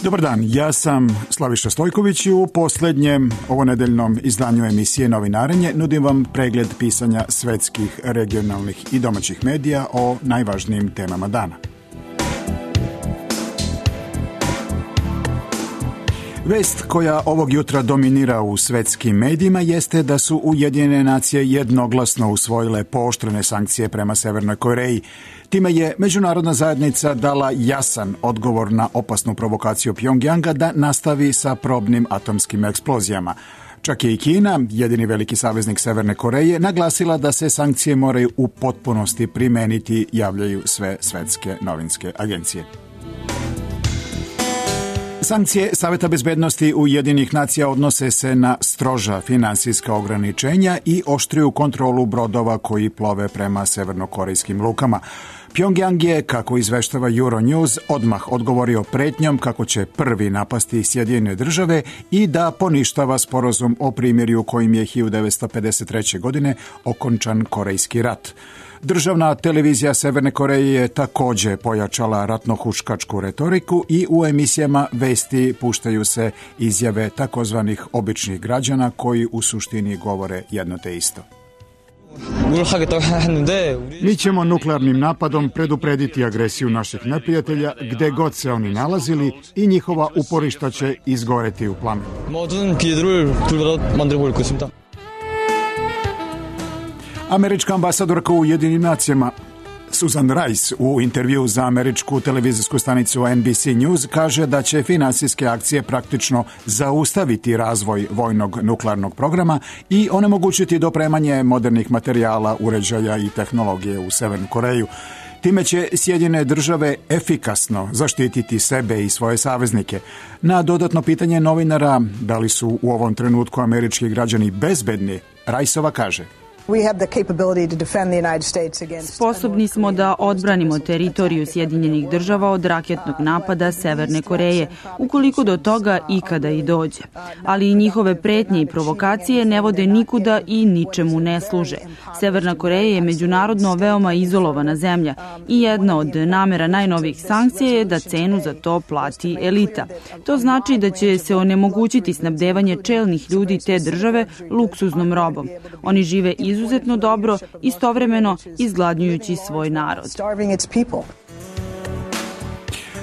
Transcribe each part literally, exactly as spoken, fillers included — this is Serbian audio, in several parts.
Dobar dan, ja sam Slaviša Stojković i u posljednjem ovonedeljnom izdanju emisije Novinarenje nudim vam pregled pisanja svetskih, regionalnih i domaćih medija o najvažnijim temama dana. Vest koja ovog jutra dominira u svetskim medijima jeste da su Ujedinjene nacije jednoglasno usvojile pooštrene sankcije prema Severnoj Koreji. Time je međunarodna zajednica dala jasan odgovor na opasnu provokaciju Pjongjanga da nastavi sa probnim atomskim eksplozijama. Čak je i Kina, jedini veliki saveznik Severne Koreje, naglasila da se sankcije moraju u potpunosti primeniti, javljaju sve svetske novinske agencije. Sankcije Saveta bezbednosti Ujedinjenih nacija odnose se na stroža finansijska ograničenja i oštriju kontrolu brodova koji plove prema severnokorejskim lukama. Pjongjang je, kako izveštava Euronews, odmah odgovorio pretnjom kako će prvi napasti Sjedinjene države i da poništava sporazum o primirju kojim je hiljadu devetsto pedeset treće. godine okončan Korejski rat. Državna televizija Severne Koreje je također pojačala ratnohuškačku retoriku i u emisijama vesti puštaju se izjave takozvanih običnih građana koji u suštini govore jedno te isto. Mi ćemo nuklearnim napadom preduprediti agresiju naših neprijatelja gde god se oni nalazili i njihova uporišta će izgoreti u plamenu. Američka ambasadorka u Ujedinjenim nacijama Susan Rice u intervju za američku televizijsku stanicu N B C News kaže da će finansijske akcije praktično zaustaviti razvoj vojnog nuklearnog programa i onemogućiti dopremanje modernih materijala, uređaja i tehnologije u Severnu Koreju. Time će Sjedinjene države efikasno zaštititi sebe i svoje saveznike. Na dodatno pitanje novinara da li su u ovom trenutku američki građani bezbedni, Riceova kaže: Sposobni smo da odbranimo teritoriju Sjedinjenih država od raketnog napada Severne Koreje, ukoliko do toga ikada i dođe. Ali i njihove pretnje i provokacije ne vode nikuda i ničemu ne služe. Severna Koreja je međunarodno veoma izolovana zemlja i jedna od namera najnovijih sankcija je da cenu za to plati elita. To znači da će se onemogućiti snabdevanje čelnih ljudi te države luksuznom robom. Oni žive iz izuzetno dobro, istovremeno izgladnjujući svoj narod.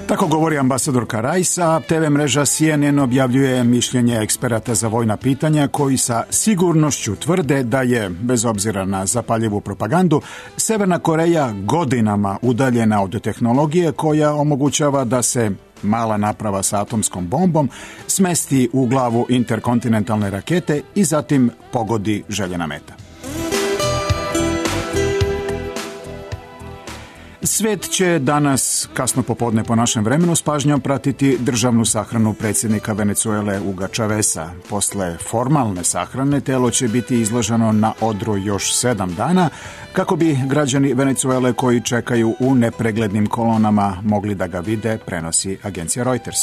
Tako govori ambasadorka Rice, a te ve mreža C N N objavljuje mišljenje eksperata za vojna pitanja koji sa sigurnošću tvrde da je, bez obzira na zapaljivu propagandu, Severna Koreja godinama udaljena od tehnologije koja omogućava da se mala naprava sa atomskom bombom smesti u glavu interkontinentalne rakete i zatim pogodi željena meta. Svet će danas, kasno popodne po našem vremenu, s pažnjom pratiti državnu sahranu predsjednika Venezuele Huga Chaveza. Posle formalne sahrane telo će biti izloženo na odru još sedam dana, kako bi građani Venezuele koji čekaju u nepreglednim kolonama mogli da ga vide, prenosi agencija Reuters.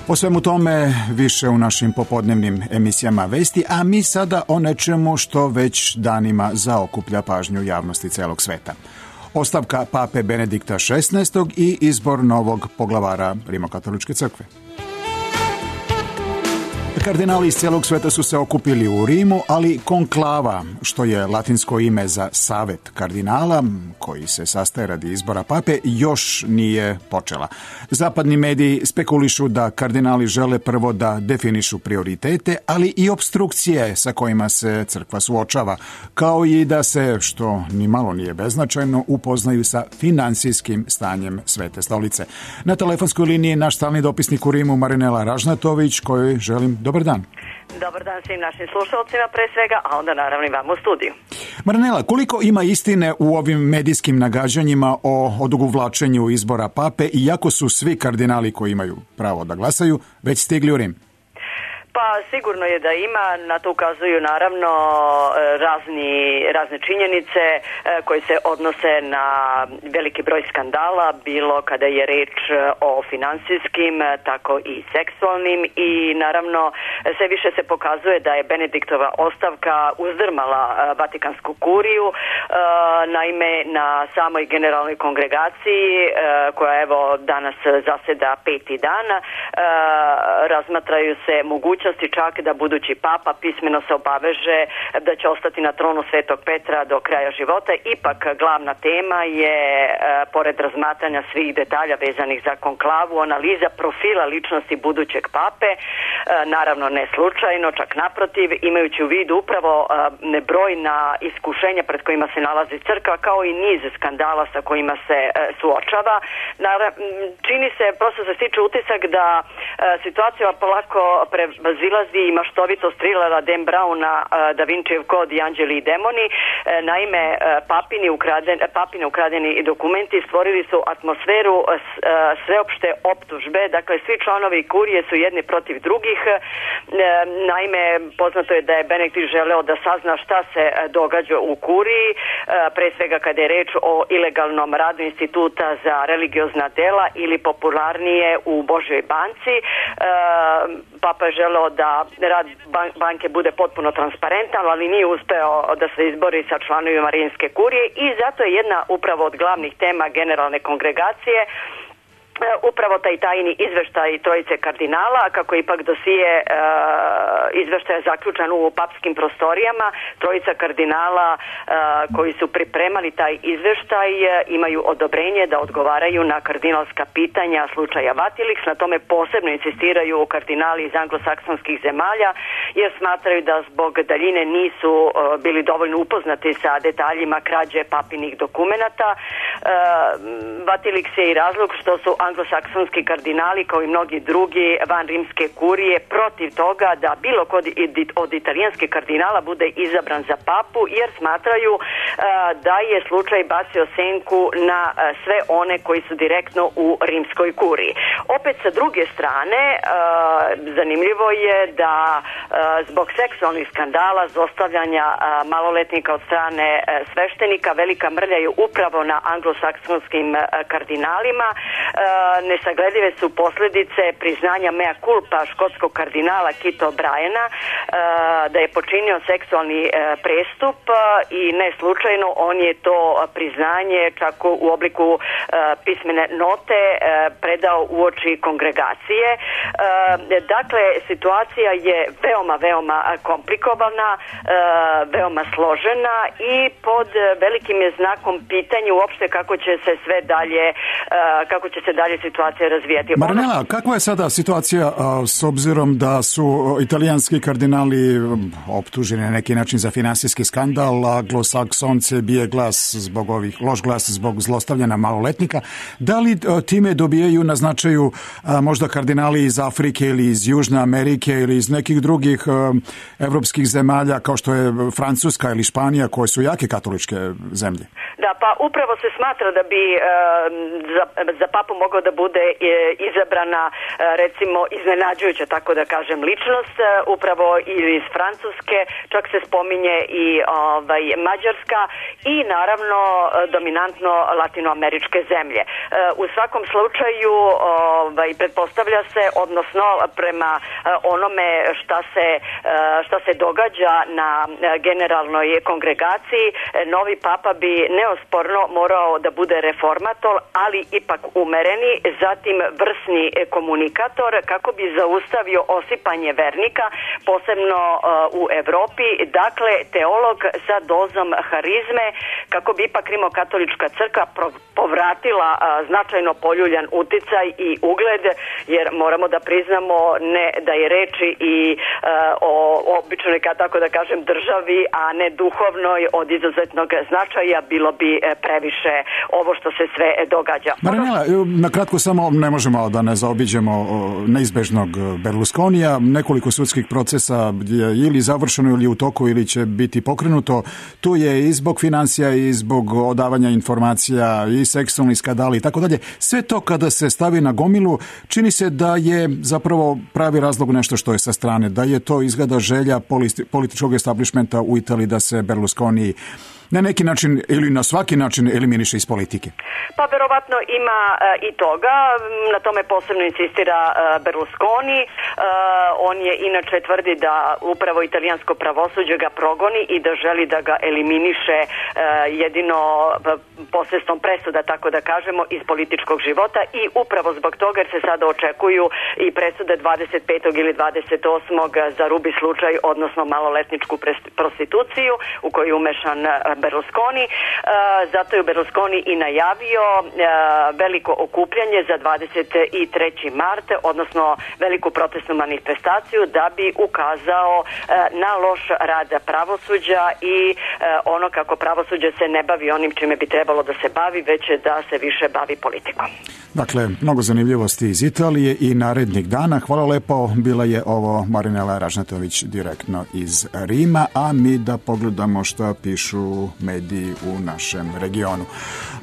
O svemu tome više u našim popodnevnim emisijama vesti, a mi sada o nečemu što već danima zaokuplja pažnju javnosti celog sveta. Ostavka pape Benedikta šesnaestog. i izbor novog poglavara Rimokatoličke crkve. Kardinali iz celog sveta su se okupili u Rimu, ali konklava, što je latinsko ime za savet kardinala, koji se sastaje radi izbora pape, još nije počela. Zapadni mediji spekulišu da kardinali žele prvo da definišu prioritete, ali i opstrukcije sa kojima se crkva suočava, kao i da se, što ni malo nije beznačajno, upoznaju sa finansijskim stanjem Svete stolice. Na telefonskoj liniji naš stalni dopisnik u Rimu Marinela Ražnatović, kojoj želim dobar dan. Dobar dan svim našim slušalcima pre svega, a onda naravno i vam u studiju. Marinela, koliko ima istine u ovim medijskim nagađanjima o odugovlačenju izbora pape, iako su svi kardinali koji imaju pravo da glasaju već stigli u Rim? Pa sigurno je da ima, na to ukazuju naravno razni, razne činjenice koje se odnose na veliki broj skandala, bilo kada je reč o finansijskim, tako i seksualnim, i naravno sve više se pokazuje da je Benediktova ostavka uzdrmala Vatikansku kuriju. Naime, na samoj generalnoj kongregaciji, koja evo danas zaseda peti dan, razmatraju se mogućnosti čak da budući papa pismeno se obaveže da će ostati na tronu Svetog Petra do kraja života. Ipak glavna tema je, pored razmatranja svih detalja vezanih za konklavu, analiza profila ličnosti budućeg pape, naravno ne slučajno, čak naprotiv, imajući u vidu upravo nebrojna iskušenja pred kojima se nalazi crkva, kao i niz skandala sa kojima se suočava. Čini se, prosto se stiče utisak da situacija polako prevazilazi i maštovitost trilera Dan Browna, Da Vincijev kod i Anđeli i demoni. Naime, papini ukraden, papine ukradeni dokumenti stvorili su atmosferu sveopšte optužbe, dakle svi članovi kurije su jedni protiv drugih. Naime, poznato je da je Benedikt želeo da sazna šta se događa u kuriji, pre svega kada je reč o ilegalnom radu Instituta za religiozna dela ili popularnije u Božjoj banci. Papa je želeo da rad banke bude potpuno transparentan, ali nije uspeo da se izbori sa članovima Rimske kurije, i zato je jedna upravo od glavnih tema generalne kongregacije upravo taj tajni izveštaj trojice kardinala, kako ipak dosije e, izveštaja zaključan u papskim prostorijama. Trojica kardinala e, koji su pripremali taj izveštaj e, imaju odobrenje da odgovaraju na kardinalska pitanja slučaja Vatilix. Na tome posebno insistiraju kardinali iz anglosaksonskih zemalja, jer smatraju da zbog daljine nisu e, bili dovoljno upoznati sa detaljima krađe papinih dokumenata. E, Vatilix je i razlog što su anglosaksonski kardinali, kao i mnogi drugi van rimske kurije, protiv toga da bilo kod od italijanskih kardinala bude izabran za papu, jer smatraju uh, da je slučaj bacio senku na uh, sve one koji su direktno u rimskoj kuriji. Opet sa druge strane, uh, zanimljivo je da uh, zbog seksualnih skandala, zlostavljanja uh, maloletnika od strane uh, sveštenika, velika mrlja je upravo na anglosaksonskim uh, kardinalima. Uh, Nesagledive su posljedice priznanja mea culpa škotskog kardinala Kito Bryana da je počinio seksualni prestup, i ne slučajno on je to priznanje čak u obliku pismene note predao uoči kongregacije. Dakle, situacija je veoma, veoma komplikovana, veoma složena i pod velikim je znakom pitanja uopšte kako će se sve dalje kako će se dalje situacija razvijati. Marinela, kakva je sada situacija a, s obzirom da su italijanski kardinali optuženi na neki način za finansijski skandal, anglosaksonce bije glas zbog ovih, loš glas zbog zlostavljanja maloletnika. Da li a, time dobijaju na značaju a, možda kardinali iz Afrike ili iz Južne Amerike ili iz nekih drugih a, evropskih zemalja kao što je Francuska ili Španija, koje su jake katoličke zemlje? Da, pa upravo se smatra da bi a, za, za papu mogao da bude izabrana recimo iznenađujuća, tako da kažem, ličnost, upravo ili iz Francuske, čak se spominje i ovaj, Mađarska i naravno dominantno latinoameričke zemlje. U svakom slučaju ovaj, pretpostavlja se, odnosno prema onome šta se, šta se događa na generalnoj kongregaciji, novi papa bi neosporno morao da bude reformator, ali ipak umereni, zatim vrsni komunikator, kako bi zaustavio osipanje vernika, posebno uh, u Evropi, dakle teolog sa dozom harizme, kako bi ipak rimokatolička crkva povratila uh, značajno poljuljan uticaj i ugled, jer moramo da priznamo ne da je reči i uh, o običnoj, tako da kažem, državi, a ne duhovnoj, od izuzetnog značaja. Bilo bi uzbuđivati previše ovo što se sve događa. Marinela, na kratko samo ne možemo da ne zaobiđemo neizbežnog Berlusconija. Nekoliko sudskih procesa je ili završeno ili u toku ili će biti pokrenuto. Tu je i zbog financija i zbog odavanja informacija i seksualni skandali i tako dalje. Sve to kada se stavi na gomilu čini se da je zapravo pravi razlog nešto što je sa strane, da je to izgleda želja političkog establishmenta u Italiji da se Berlusconi na neki način ili na svaki način eliminiše iz politike. Pa verovatno ima e, i toga, na tome posebno insistira e, Berlusconi. E, on je inače tvrdi da upravo italijansko pravosuđe ga progoni i da želi da ga eliminiše e, jedino posredstvom presuda, tako da kažemo, iz političkog života i upravo zbog toga jer se sada očekuju i presude dvadeset petog ili dvadeset osmog za Rubi slučaj, odnosno maloletničku prostituciju u koju je umešan Berlusconi. Zato je Berlusconi i najavio veliko okupljanje za dvadeset treći mart, odnosno veliku protestnu manifestaciju da bi ukazao na loš rad pravosuđa i ono kako pravosuđe se ne bavi onim čime bi trebalo da se bavi, već da se više bavi politikom. Dakle, mnogo zanimljivosti iz Italije i narednih dana. Hvala lepo, bila je ovo Marinela Ražnatović direktno iz Rima, a mi da pogledamo šta pišu mediji u našem regionu.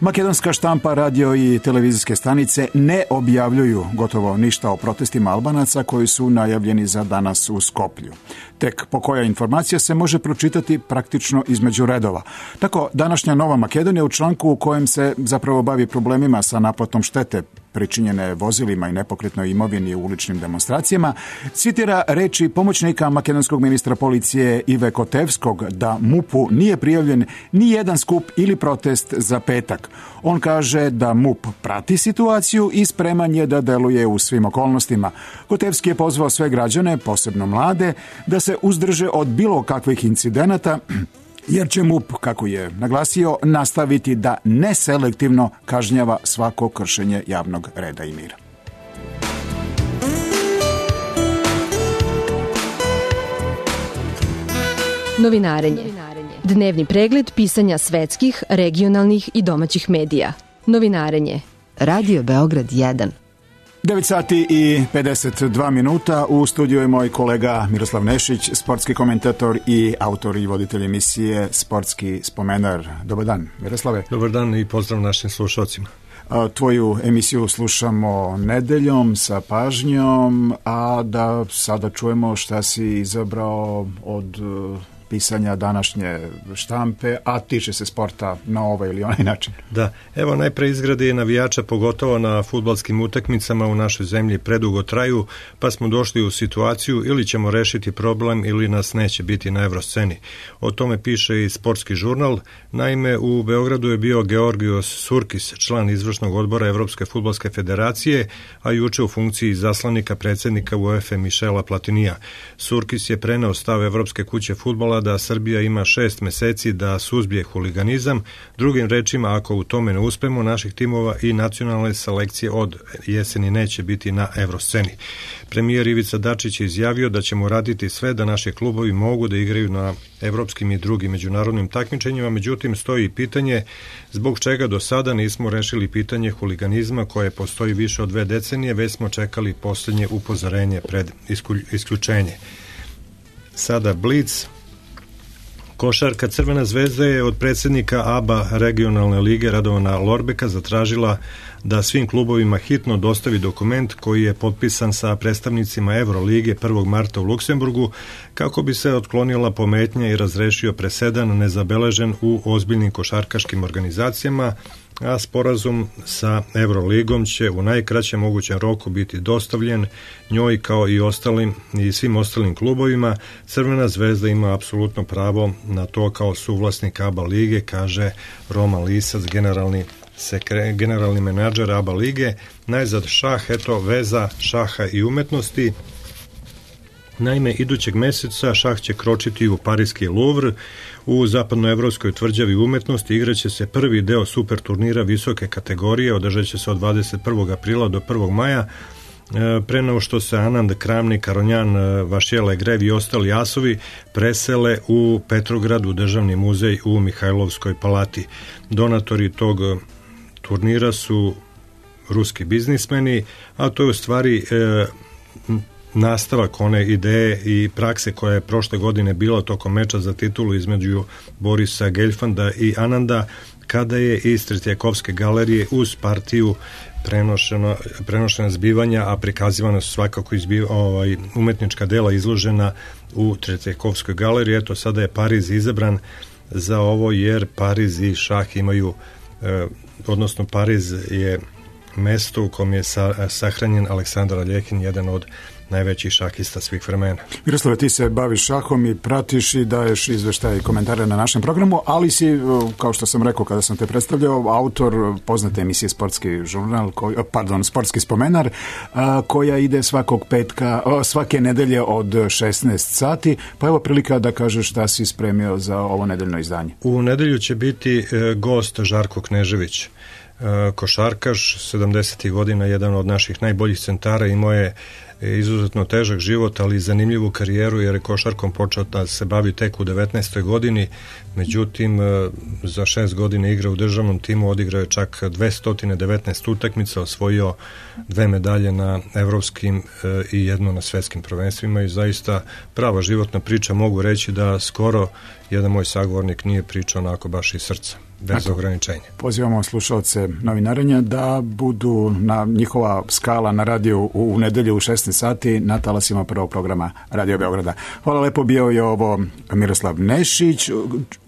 Makedonska štampa, radio i televizijske stanice ne objavljuju gotovo ništa o protestima Albanaca koji su najavljeni za danas u Skoplju. Tek po koja informacija se može pročitati praktično između redova. Tako, današnja Nova Makedonija u članku u kojem se zapravo bavi problemima sa naplatom štete pričinjene vozilima i nepokretnoj imovini u uličnim demonstracijama, citira reči pomoćnika makedonskog ministra policije Ive Kotevskog da MUP-u nije prijavljen ni jedan skup ili protest za petak. On kaže da MUP prati situaciju i spreman je da deluje u svim okolnostima. Kotevski je pozvao sve građane, posebno mlade, da se uzdrže od bilo kakvih incidenata, jer će MUP, kako je naglasio, nastaviti da neselektivno kažnjava svako kršenje javnog reda i mira. Novinarenje. Dnevni pregled pisanja svetskih, regionalnih i domaćih medija. Novinarenje. Radio Beograd jedan. devet sati i pedeset dva minuta. U studiju je moj kolega Miroslav Nešić, sportski komentator i autor i voditelj emisije Sportski spomenar. Dobar dan, Miroslave. Dobar dan i pozdrav našim slušalcima. Tvoju emisiju slušamo nedeljom sa pažnjom, a da sada čujemo šta si izabrao od pisanja današnje štampe, a tiče se sporta na ovaj ili onaj način. Da, evo najpre izgrade navijača, pogotovo na fudbalskim utakmicama u našoj zemlji predugo traju, pa smo došli u situaciju ili ćemo rešiti problem ili nas neće biti na evrosceni. O tome piše i Sportski žurnal. Naime, u Beogradu je bio Georgios Surkis, član izvršnog odbora Evropske fudbalske federacije, a juče u funkciji zaslanika predsjednika UEFA Michela Platinija. Surkis je preneo stav Evropske kuće fudbala da Srbija ima šest meseci da suzbije huliganizam. Drugim rečima, ako u tome ne uspemo, naših timova i nacionalne selekcije od jeseni neće biti na evrosceni. Premijer Ivica Dačić je izjavio da ćemo raditi sve da naši klubovi mogu da igraju na evropskim i drugim međunarodnim takmičenjima, međutim stoji pitanje zbog čega do sada nismo rešili pitanje huliganizma koje postoji više od dve decenije, već smo čekali posljednje upozorenje pred isključenje. Sada Blic. Košarka Crvena zvezda je od predsjednika A B A regionalne lige Radovana Lorbeka zatražila da svim klubovima hitno dostavi dokument koji je potpisan sa predstavnicima Evrolige prvog marta u Luksemburgu kako bi se otklonila pometnja i razrešio presedan nezabeležen u ozbiljnim košarkaškim organizacijama, a sporazum sa Evroligom će u najkraćem mogućem roku biti dostavljen njoj kao i ostalim i svim ostalim klubovima. Crvena zvezda ima apsolutno pravo na to kao suvlasnik A B A lige, kaže Roman Lisac, generalni sekre, generalni menadžer A B A lige. Najzad šah, eto veza šaha i umetnosti. Naime, idućeg meseca šah će kročiti u Parijski Louvre. U zapadnoevropskoj tvrđavi umetnosti igraće se prvi deo super turnira visoke kategorije, održat će se od dvadeset prvog aprila do prvog maja, pre nego što se Anand, Kramnik, Karonjan, Vašjele, Grev i ostali asovi presele u Petrogradu, državni muzej u Mihajlovskoj palati. Donatori tog turnira su ruski biznismeni, a to je u stvari e, nastavak one ideje i prakse koja je prošle godine bila tokom meča za titulu između Borisa Geljfanda i Ananda, kada je iz Tretjakovske galerije uz partiju prenošena, prenošena zbivanja, a prikazivana su svakako izbiva, ovaj, umetnička dela izložena u Tretjakovskoj galeriji. Eto, sada je Pariz izabran za ovo, jer Pariz i šah imaju, eh, odnosno Pariz je mesto u kom je sa, sahranjen Aleksandar Aljekin, jedan od najvećih šahista svih vremena. Miroslave, ti se baviš šahom i pratiš i daješ izveštaje i komentare na našem programu, ali si, kao što sam rekao kada sam te predstavljao, autor poznate emisije Sportski žurnal, koji, pardon, Sportski spomenar, koja ide svakog petka, svake nedelje od šesnaest sati, pa evo prilika da kažeš šta si spremio za ovo nedeljno izdanje. U nedelju će biti gost Žarko Knežević, košarkaš, sedamdesetih godina, jedan od naših najboljih centara, imao je izuzetno težak život, ali i zanimljivu karijeru, jer je košarkom počeo da se bavi tek u devetnaestoj godini, međutim za šest godina igra u državnom timu, odigrao je čak dvesta devetnaest utakmica, osvojio dve medalje na evropskim i jedno na svetskim prvenstvima i zaista prava životna priča. Mogu reći da skoro jedan moj sagovornik nije pričao onako baš iz srca, bez Ako, ograničenja. Pozivamo slušalce Novinarenja da budu na njihova skala na radiju u, u nedelju u šesnaest sati na talasima prvog programa Radio Beograda. Hvala lepo, bio je ovo Miroslav Nešić.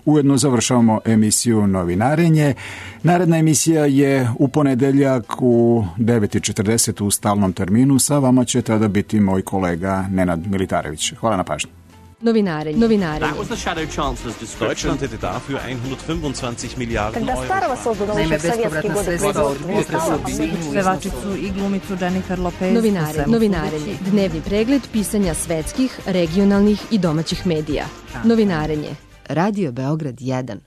Ujedno završavamo emisiju Novinarenje. Naredna emisija je u ponedeljak u devet i četrdeset u stalnom terminu. Sa vama će tada biti moj kolega Nenad Militarević. Hvala na pažnji. Novinarenje. Novinarenje. Deutschland hätte dafür hundertfünfundzwanzig Milliarden Euro. Naime, bespovratna sredstva od budžeta su pevačicu i glumicu Jennifer Lopez. Novinarenje. Novinarenje. Dnevni pregled pisanja svetskih, regionalnih i domaćih medija. Novinarenje. Radio Beograd jedan.